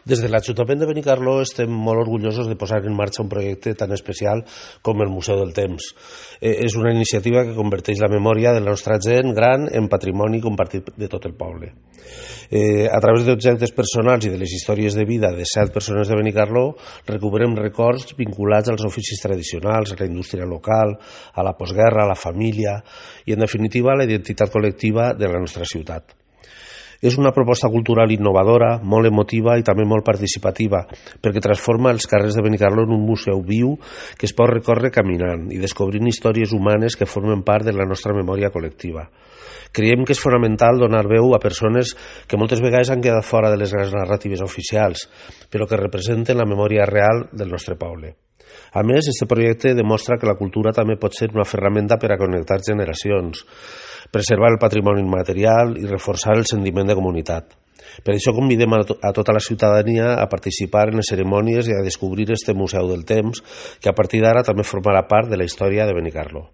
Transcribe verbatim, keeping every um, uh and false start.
Des de l'Ajuntament de Benicarló estem molt orgullosos de posar en marxa un projecte tan especial com el Museu del Temps. Eh, és una iniciativa que converteix la memòria de la nostra gent gran en patrimoni compartit de tot el poble. Eh, a través d'objectes personals i de les històries de vida de set persones de Benicarló recuperem records vinculats als oficis tradicionals, a la indústria local, a la postguerra, a la família i, en definitiva, a la identitat col·lectiva de la nostra ciutat. És una proposta cultural innovadora, molt emotiva i també molt participativa, perquè transforma els carrers de Benicarló en un museu viu que es pot recórrer caminant i descobrint històries humanes que formen part de la nostra memòria col·lectiva. Creiem que és fonamental donar veu a persones que moltes vegades han quedat fora de les grans narratives oficials, però que representen la memòria real del nostre poble. A més, aquest projecte demostra que la cultura també pot ser una ferramenta per a connectar generacions, preservar el patrimoni immaterial i reforçar el sentiment de comunitat. Per això convidem a, to a tota la ciutadania a participar en les cerimònies i a descobrir este Museu del Temps, que a partir d'ara també formarà part de la història de Benicarló.